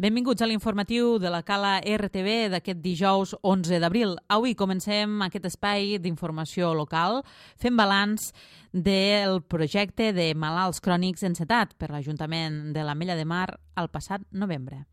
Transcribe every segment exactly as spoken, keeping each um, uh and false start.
Benvinguts a l'informatiu de la Cala R T V d'aquest dijous onze d'abril. Avui comencem aquest espai d'informació local fent balanç del projecte de malalts crònics encetat per l'Ajuntament de l'Ametlla de Mar el passat novembre.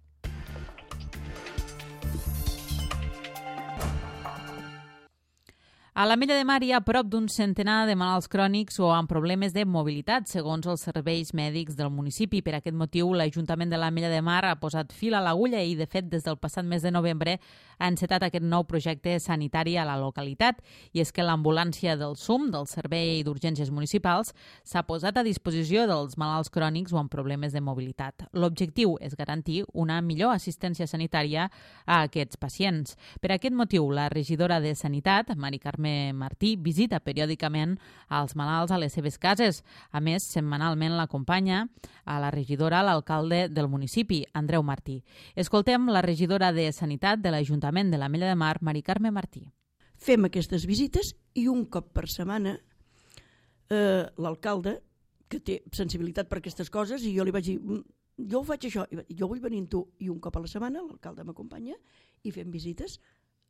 A l'Ametlla de Mar hi ha prop d'un centenar de malalts crònics o amb problemes de mobilitat, segons els serveis mèdics del municipi. Per aquest motiu, l'Ajuntament de l'Ametlla de Mar ha posat fil a l'agulla i, de fet, des del passat mes de novembre ha encetat aquest nou projecte sanitari a la localitat. I és que l'ambulància del S U M, del Servei d'Urgències Municipals, s'ha posat a disposició dels malalts crònics o amb problemes de mobilitat. L'objectiu és garantir una millor assistència sanitària a aquests pacients. Per aquest motiu, la regidora de Sanitat, Mari Carme Martí, visita periòdicament als malalts a les seves cases. A més, setmanalment l'acompanya a la regidora l'alcalde del municipi, Andreu Martí. Escoltem la regidora de Sanitat de l'Ajuntament de l'Ametlla de Mar, Mari Carme Martí. Fem aquestes visites i un cop per setmana eh, l'alcalde, que té sensibilitat per aquestes coses, i jo li vaig dir, jo ho faig això, jo vull venir amb tu, i un cop a la setmana l'alcalde m'acompanya i fem visites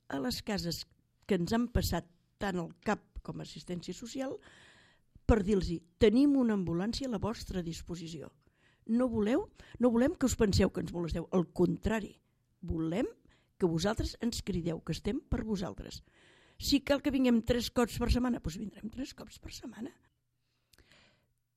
a les cases que ens han passat tant al cap com a assistència social per dir-los, tenim una ambulància a la vostra disposició. No voleu, no volem que us penseu que ens molesteu, al contrari, volem que vosaltres ens crideu, que estem per vosaltres. Si cal que vinguem tres cops per setmana, doncs vindrem tres cops per setmana.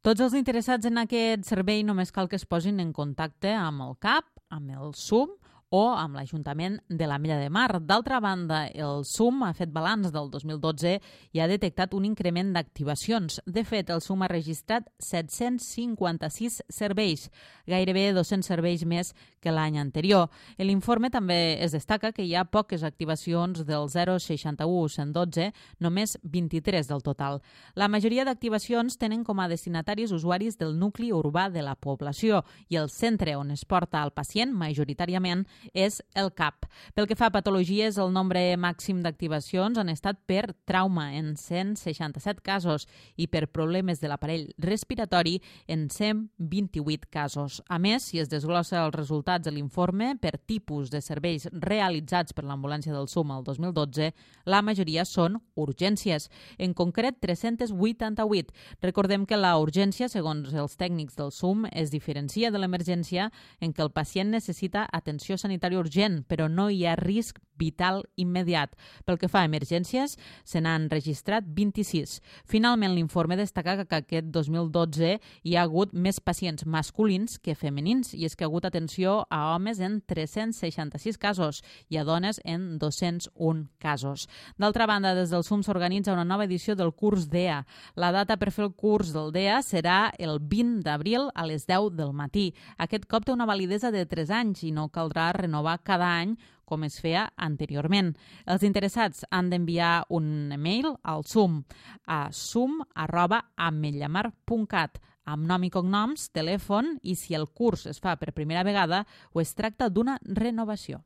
Tots els interessats en aquest servei només cal que es posin en contacte amb el C A P, amb el S U M o amb l'Ajuntament de l'Ametlla de Mar. D'altra banda, el S U M ha fet balanç del dos mil dotze i ha detectat un increment d'activacions. De fet, el S U M ha registrat set-cents cinquanta-sis serveis, gairebé dos-cents serveis més que l'any anterior. En l'informe també es destaca que hi ha poques activacions del zero seixanta-u cent dotze, només vint-i-tres del total. La majoria d'activacions tenen com a destinataris usuaris del nucli urbà de la població i el centre on es porta el pacient, majoritàriament, és el C A P. Pel que fa a patologies, el nombre màxim d'activacions han estat per trauma en cent seixanta-set casos i per problemes de l'aparell respiratori en cent vint-i-vuit casos. A més, si es desglossa els resultats de l'informe per tipus de serveis realitzats per l'ambulància del S U M el dos mil dotze, la majoria són urgències, en concret tres-cents vuitanta-vuit. Recordem que la urgència, segons els tècnics del S U M, es diferencia de l'emergència en què el pacient necessita atenció sanitària urgent, però no hi ha risc vital immediat. Pel que fa a emergències, se n'han registrat vint-i-sis. Finalment, l'informe destaca que aquest dos mil dotze hi ha hagut més pacients masculins que femenins, i és que ha hagut atenció a homes en tres-cents seixanta-sis casos i a dones en dos-cents un casos. D'altra banda, des del S U M s'organitza una nova edició del curs D E A. La data per fer el curs del D E A serà el vint d'abril a les deu del matí. Aquest cop té una validesa de tres anys i no caldrà renovar cada any com es feia anteriorment. Els interessats han d'enviar un e-mail al S U M a sum arroba ametllamar punt cat amb nom i cognoms, telèfon i si el curs es fa per primera vegada o es tracta d'una renovació.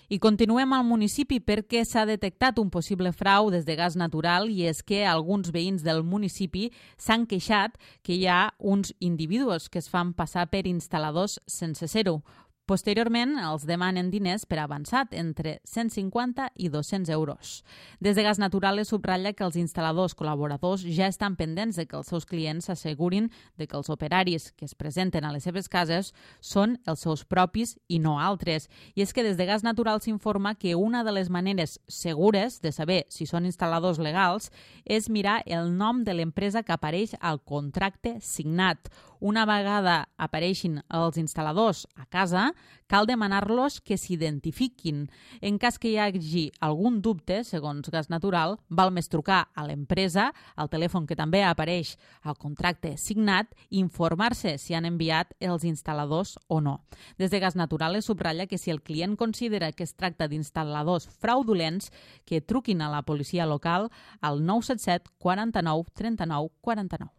I continuem al municipi perquè s'ha detectat un possible frau des de gas natural i és que alguns veïns del municipi s'han queixat que hi ha uns individus que es fan passar per instal·ladors sense ser-ho. Posteriorment, els demanen diners per avançat, entre cent cinquanta i dos-cents euros. Des de Gas Natural es subratlla que els instal·ladors col·laboradors ja estan pendents de que els seus clients s'assegurin de que els operaris que es presenten a les seves cases són els seus propis i no altres. I és que des de Gas Natural s'informa que una de les maneres segures de saber si són instal·ladors legals és mirar el nom de l'empresa que apareix al contracte signat. Una vegada apareixin els instal·ladors a casa, cal demanar-los que s'identifiquin. En cas que hi hagi algun dubte, segons Gas Natural, val més trucar a l'empresa, al telèfon que també apareix al contracte signat, i informar-se si han enviat els instal·ladors o no. Des de Gas Natural es subratlla que si el client considera que es tracta d'instal·ladors fraudulents, que truquin a la policia local al nou set set quaranta-nou trenta-nou quaranta-nou.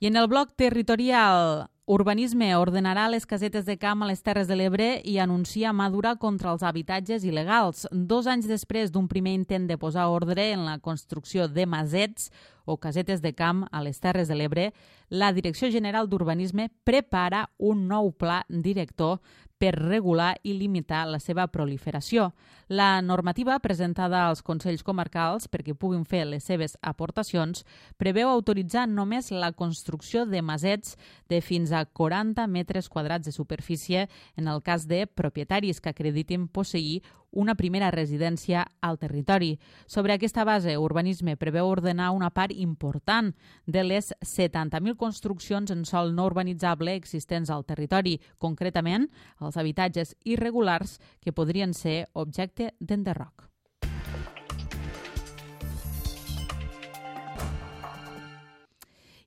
I en el bloc territorial Urbanisme ordenarà les casetes de camp a les Terres de l'Ebre i anuncia mà dura contra els habitatges il·legals. Dos anys després d'un primer intent de posar ordre en la construcció de masets o casetes de camp a les Terres de l'Ebre, la Direcció General d'Urbanisme prepara un nou pla director per regular i limitar la seva proliferació. La normativa presentada als Consells Comarcals perquè puguin fer les seves aportacions preveu autoritzar només la construcció de masets de fins a quaranta metres quadrats de superfície en el cas de propietaris que acreditin posseir una primera residència al territori. Sobre aquesta base, Urbanisme preveu ordenar una part important de les setanta mil construccions en sòl no urbanitzable existents al territori, concretament els habitatges irregulars que podrien ser objecte d'enderroc.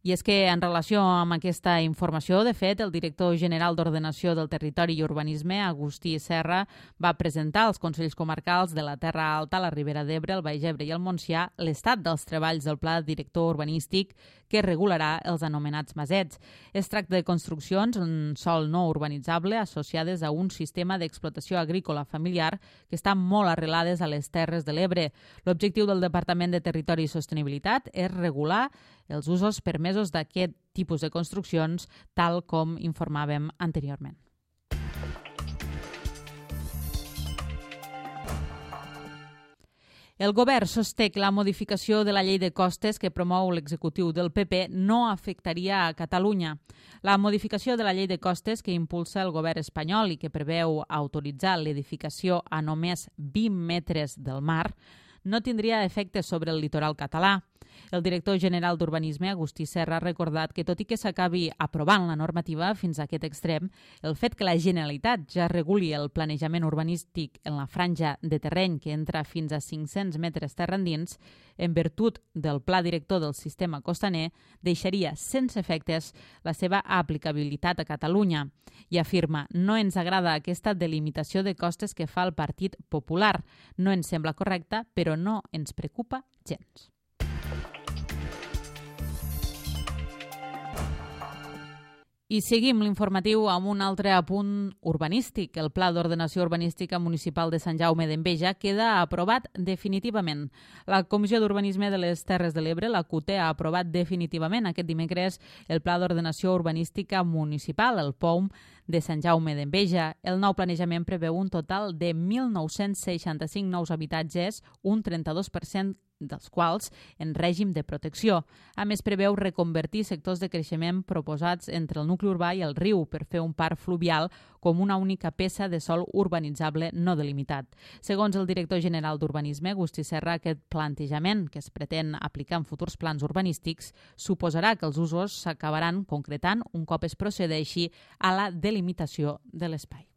I és que, en relació amb aquesta informació, de fet, el director general d'Ordenació del Territori i Urbanisme, Agustí Serra, va presentar als Consells Comarcals de la Terra Alta, la Ribera d'Ebre, el Baix Ebre i el Montsià l'estat dels treballs del Pla Director Urbanístic que regularà els anomenats masets. Es tracta de construccions en sòl no urbanitzable associades a un sistema d'explotació agrícola familiar que estan molt arrelades a les Terres de l'Ebre. L'objectiu del Departament de Territori i Sostenibilitat és regular els usos permesos d'aquest tipus de construccions, tal com informàvem anteriorment. El govern sosté que la modificació de la llei de costes que promou l'executiu del P P no afectaria a Catalunya. La modificació de la llei de costes que impulsa el govern espanyol i que preveu autoritzar l'edificació a només vint metres del mar no tindria efectes sobre el litoral català. El director general d'Urbanisme, Agustí Serra, ha recordat que, tot i que s'acabi aprovant la normativa fins a aquest extrem, el fet que la Generalitat ja reguli el planejament urbanístic en la franja de terreny que entra fins a cinc-cents metres terra endins, en virtut del pla director del sistema costaner, deixaria sense efectes la seva aplicabilitat a Catalunya. I afirma: no ens agrada aquesta delimitació de costes que fa el Partit Popular. No ens sembla correcta, però no ens preocupa gens. I seguim l'informatiu amb un altre apunt urbanístic. El Pla d'Ordenació Urbanística Municipal de Sant Jaume d'Enveja queda aprovat definitivament. La Comissió d'Urbanisme de les Terres de l'Ebre, la C U T E, ha aprovat definitivament aquest dimecres el Pla d'Ordenació Urbanística Municipal, el P O U M, de Sant Jaume d'Enveja. El nou planejament preveu un total de mil nou-cents seixanta-cinc nous habitatges, un trenta-dos per cent dels quals en règim de protecció. A més, preveu reconvertir sectors de creixement proposats entre el nucli urbà i el riu per fer un parc fluvial com una única peça de sòl urbanitzable no delimitat. Segons el director general d'Urbanisme, Agustí Serra, aquest plantejament que es pretén aplicar en futurs plans urbanístics suposarà que els usos s'acabaran concretant un cop es procedeixi a la delimitació de l'espai.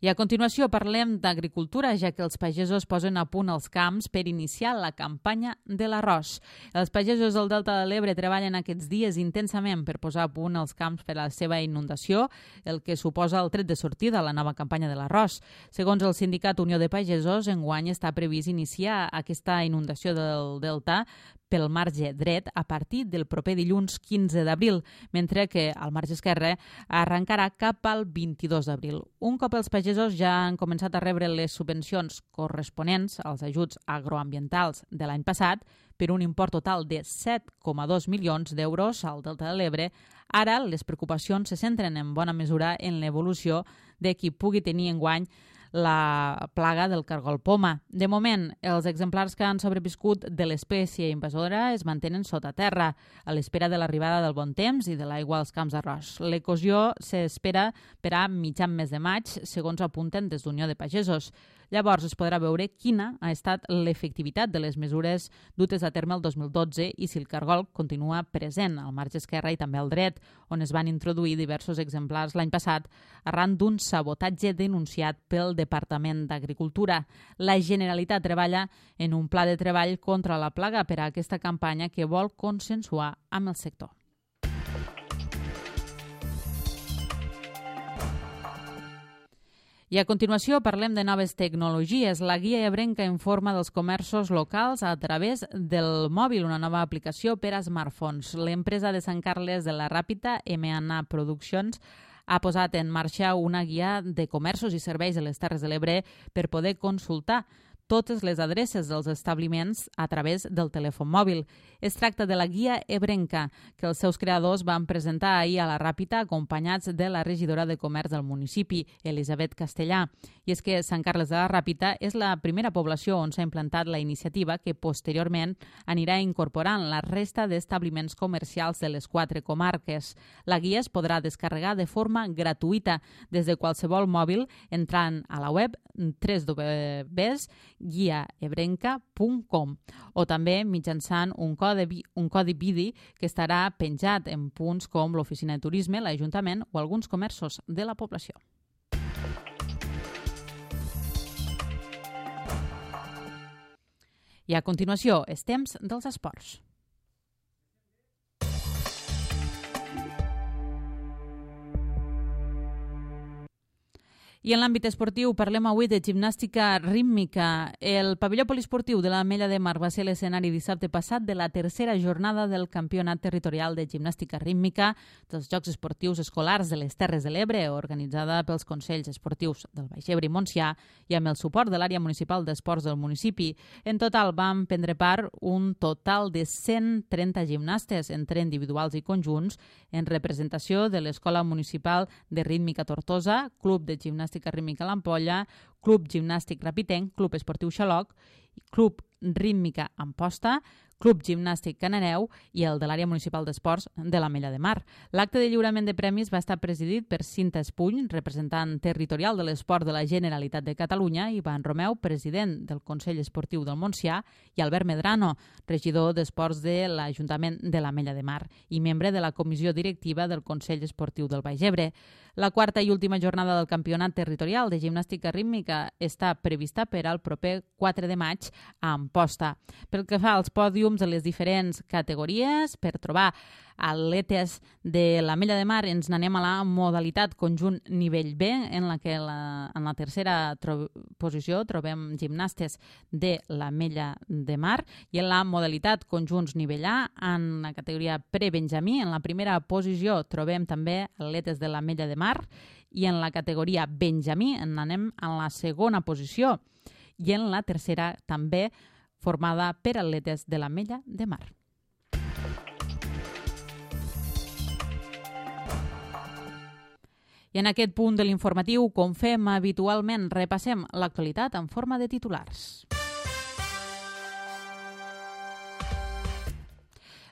I a continuació parlem d'agricultura, ja que els pagesos posen a punt els camps per iniciar la campanya de l'arròs. Els pagesos del Delta de l'Ebre treballen aquests dies intensament per posar a punt els camps per a la seva inundació, el que suposa el tret de sortida a la nova campanya de l'arròs. Segons el sindicat Unió de Pagesos, enguany està previst iniciar aquesta inundació del Delta pel marge dret a partir del proper dilluns quinze d'abril, mentre que el marge esquerre arrencarà cap al vint-i-dos d'abril. Un cop els pagesos ja han començat a rebre les subvencions corresponents als ajuts agroambientals de l'any passat, per un import total de set coma dos milions d'euros al Delta de l'Ebre, ara les preocupacions se centren en bona mesura en l'evolució de qui pugui tenir enguany la plaga del cargol poma. De moment, els exemplars que han sobreviscut de l'espècie invasora es mantenen sota terra, a l'espera de l'arribada del bon temps i de l'aigua als camps d'arròs. L'eclosió s'espera per a mitjan mes de maig, segons apunten des d'Unió de Pagesos. Llavors es podrà veure quina ha estat l'efectivitat de les mesures dutes a terme el dos mil dotze i si el cargol continua present al marge esquerre i també al dret, on es van introduir diversos exemplars l'any passat arran d'un sabotatge denunciat pel Departament d'Agricultura. La Generalitat treballa en un pla de treball contra la plaga per a aquesta campanya que vol consensuar amb el sector. I a continuació parlem de noves tecnologies. La Guia Ebrenca informa dels comerços locals a través del mòbil, una nova aplicació per a smartphones. L'empresa de Sant Carles de la Ràpita, M and A Productions, ha posat en marxa una guia de comerços i serveis de les Terres de l'Ebre per poder consultar totes les adreces dels establiments a través del telèfon mòbil. Es tracta de la Guia Ebrenca, que els seus creadors van presentar ahir a la Ràpita acompanyats de la regidora de Comerç del municipi, Elisabet Castellà. I és que Sant Carles de la Ràpita és la primera població on s'ha implantat la iniciativa que posteriorment anirà incorporant la resta d'establiments comercials de les quatre comarques. La guia es podrà descarregar de forma gratuïta des de qualsevol mòbil entrant a la web w w w punt guia ebrenca punt com o també mitjançant un codi, un codi B I D I que estarà penjat en punts com l'Oficina de Turisme, l'Ajuntament o alguns comerços de la població. I a continuació, és temps dels esports. I en l'àmbit esportiu parlem avui de gimnàstica rítmica. El pavelló poliesportiu de l'Ametlla de Mar va ser l'escenari dissabte passat de la tercera jornada del Campionat Territorial de Gimnàstica Rítmica dels Jocs Esportius Escolars de les Terres de l'Ebre, organitzada pels Consells Esportius del Baix Ebre i Montsià i amb el suport de l'àrea municipal d'esports del municipi. En total van prendre part un total de cent trenta gimnastes, entre individuals i conjunts, en representació de l'Escola Municipal de Rítmica Tortosa, Club de Gimnàstica Rítmica l'Ampolla, Club Gimnàstic Rapitenc, Club Esportiu Xaloc, Club Rítmica Amposta, Club Gimnàstic Cananeu i el de l'àrea municipal d'esports de l'Ametlla de Mar. L'acte de lliurament de premis va estar presidit per Cinta Espuny, representant territorial de l'esport de la Generalitat de Catalunya, i Ivan Romeu, president del Consell Esportiu del Montsià, i Albert Medrano, regidor d'esports de l'Ajuntament de l'Ametlla de Mar i membre de la comissió directiva del Consell Esportiu del Baix Ebre. La quarta i última jornada del Campionat Territorial de Gimnàstica Rítmica està prevista per al proper quatre de maig a Amposta. Pel que fa als pòdiums de les diferents categories, per trobar atletes de l'Ametlla de Mar ens n'anem a la modalitat conjunt nivell B, en la que la, en la tercera tro posició trobem gimnastes de l'Ametlla de Mar, i en la modalitat conjunts nivell A, en la categoria pre-benjamí, en la primera posició trobem també atletes de l'Ametlla de Mar, i en la categoria benjamí en anem en la segona posició, i en la tercera també formada per atletes de l'Ametlla de Mar. I en aquest punt de l'informatiu, com fem habitualment, repassem l'actualitat en forma de titulars.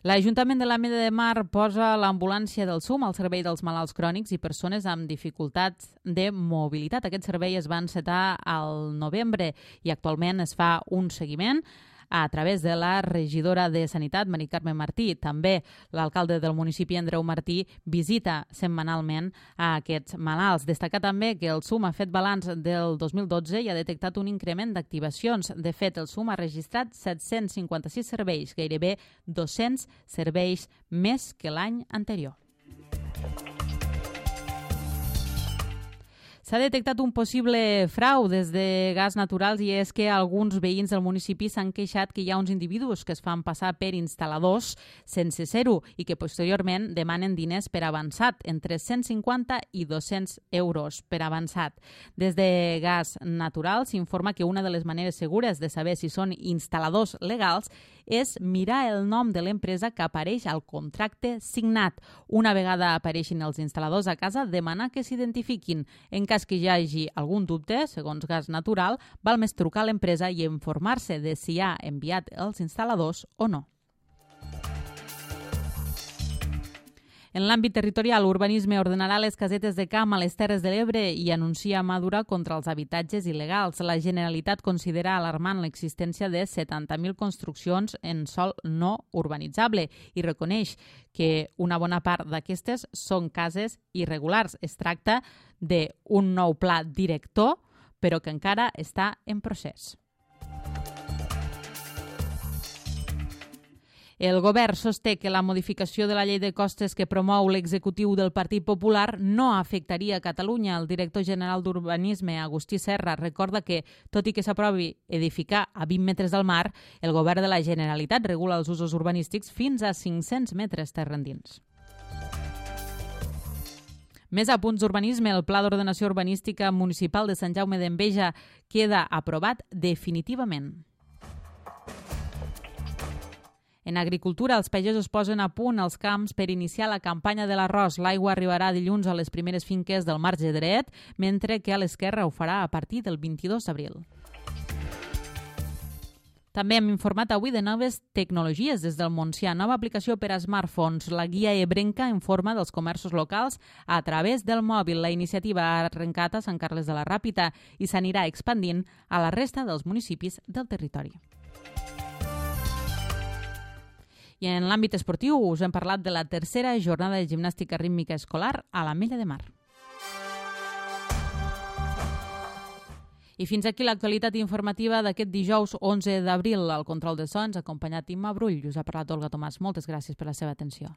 L'Ajuntament de l'Ametlla de Mar posa l'ambulància del SUM al servei dels malalts crònics i persones amb dificultats de mobilitat. Aquest servei es va encetar al novembre i actualment es fa un seguiment a través de la regidora de Sanitat, Mari Carme Martí. També l'alcalde del municipi, Andreu Martí, visita setmanalment a aquests malalts. Destacar també que el SUM ha fet balanç del dos mil dotze i ha detectat un increment d'activacions. De fet, el SUM ha registrat set-cents cinquanta-sis serveis, gairebé dos-cents serveis més que l'any anterior. S'ha detectat un possible frau des de Gas Naturals, i és que alguns veïns del municipi s'han queixat que hi ha uns individus que es fan passar per instal·ladors sense ser-ho i que posteriorment demanen diners per avançat, entre cent cinquanta i dos-cents euros per avançat. Des de Gas Naturals s'informa que una de les maneres segures de saber si són instal·ladors legals és mirar el nom de l'empresa que apareix al contracte signat. Una vegada apareixin els instal·ladors a casa, demanar que s'identifiquin. En cas que hi hagi algun dubte, segons Gas Natural, val més trucar a l'empresa i informar-se de si ha enviat els instal·ladors o no. En l'àmbit territorial, Urbanisme ordenarà les casetes de camp a les Terres de l'Ebre i anuncia mà dura contra els habitatges il·legals. La Generalitat considera alarmant l'existència de setanta mil construccions en sòl no urbanitzable i reconeix que una bona part d'aquestes són cases irregulars. Es tracta d'un nou pla director, però que encara està en procés. El govern sosté que la modificació de la llei de costes que promou l'executiu del Partit Popular no afectaria Catalunya. El director general d'Urbanisme, Agustí Serra, recorda que, tot i que s'aprovi edificar a vint metres del mar, el govern de la Generalitat regula els usos urbanístics fins a cinc-cents metres terra endins. Més a punts d'urbanisme, el Pla d'Ordenació Urbanística Municipal de Sant Jaume d'Enveja queda aprovat definitivament. En agricultura, els pagesos posen a punt els camps per iniciar la campanya de l'arròs. L'aigua arribarà dilluns a les primeres finques del marge dret, mentre que a l'esquerra ho farà a partir del vint-i-dos d'abril. També hem informat avui de noves tecnologies des del Montsià. Nova aplicació per a smartphones. La guia ebrenca informa dels comerços locals a través del mòbil. La iniciativa ha arrencat a Sant Carles de la Ràpita i s'anirà expandint a la resta dels municipis del territori. I en l'àmbit esportiu us hem parlat de la tercera jornada de gimnàstica rítmica escolar a l'Ametlla de Mar. I fins aquí l'actualitat informativa d'aquest dijous onze d'abril. Al control de sons, acompanyat d'Imma Brull. Us ha parlat Olga Tomàs. Moltes gràcies per la seva atenció.